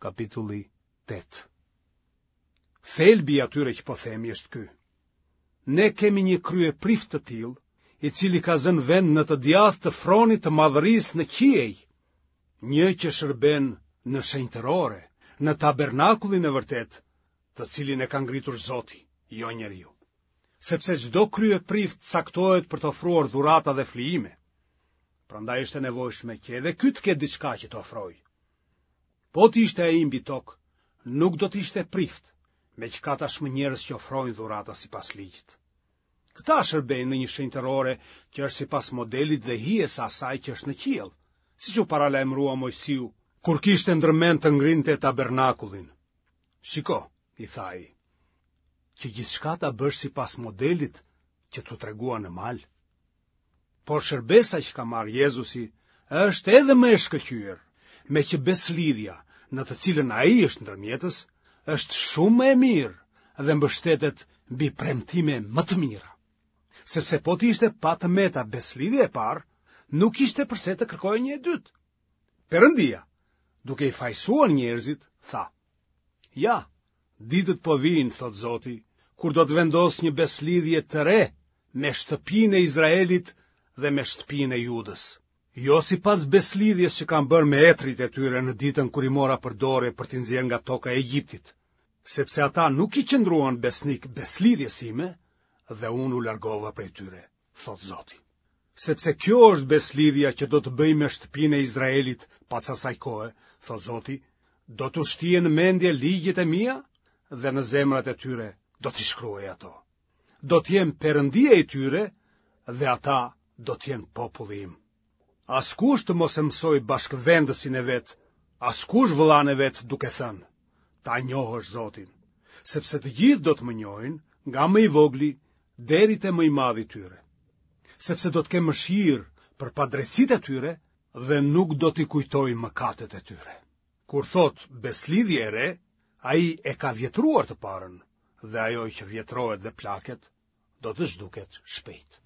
Kapitulli 8. Thelbi i atyre që po themi është ky. Ne kemi një kryeprift të tillë, i cili ka zënë vend në të djathtë të fronit të madhërisë në qiej, një që shërben në shenjtërore, në tabernakullin e vërtetë, të cilin e ka ngritur Zoti, jo njeriu. Sepse çdo kryeprift caktohet për të ofruar dhurata dhe flijime. Prandaj është e nevojshme që edhe ky të ketë diçka që të ofrojë. Po të ishte ai mbi tokë, nuk do të ishte prift, meqë ka tashmë njerëz që ofrojnë dhurata sipas ligjit. Këta shërbejnë në një shenjtërore që është sipas modelit dhe hijes së asaj që është në qiell, siç u paralajmërua Moisiu, kur kishte ndërmend të ngrinte tabernakullin. Shiko, i tha ai, që gjithçka ta bësh sipas modelit që t'u tregua në mal. Por shërbesa që ka marrë Jezusi është edhe më e shkëlqyer, meqë besëlidhja në të cilën ai është ndërmjetës, është shumë më e mirë dhe mbështetet mbi premtime më të mira. Sepse po të ishte pa të meta besëlidhja e parë, nuk ishte përse të kërkohej një e dytë. Perëndia, duke i fajësuar njerëzit, tha: Ja, Ditët po vijnë, thotë Zoti, kur do të vendos një besëlidhje të re me shtëpinë e Izraelit dhe me shtëpinë e Judës. Jo sipas besëlidhjes që kam bërë me etërit e tyre në ditën kur i mora për dore për t'i nxjerrë nga toka e Egjiptit, sepse ata nuk i qëndruan besnikë besëlidhjes sime dhe unë u largova prej tyre. thotë Zoti. Sepse kjo është besëlidhja që do të bëj me shtëpinë e Izraelit pas asaj kohe, thotë Zoti, do t'u shtij në mendje ligjet e mia dhe në zemrat e tyre do t'i shkruaj ato. Do të jem Perëndia i tyre dhe ata do të jenë populli im. Askush të mos e mësojë bashkëvendësin e vet, askush vëllanë e vet duke thënë, ta njohësh Zotin, sepse të gjithë do të më njohin, nga më i vogli deri te më i madhi i tyre. Sepse do të kem mëshirë për padrejtësitë e tyre dhe nuk do t'i kujtoj mëkatet e tyre. Kur thotë besëlidhje e re, ai e ka vjetruar të parën, dhe ajo që vjetrohet dhe plaket, do të zhduket shpejt.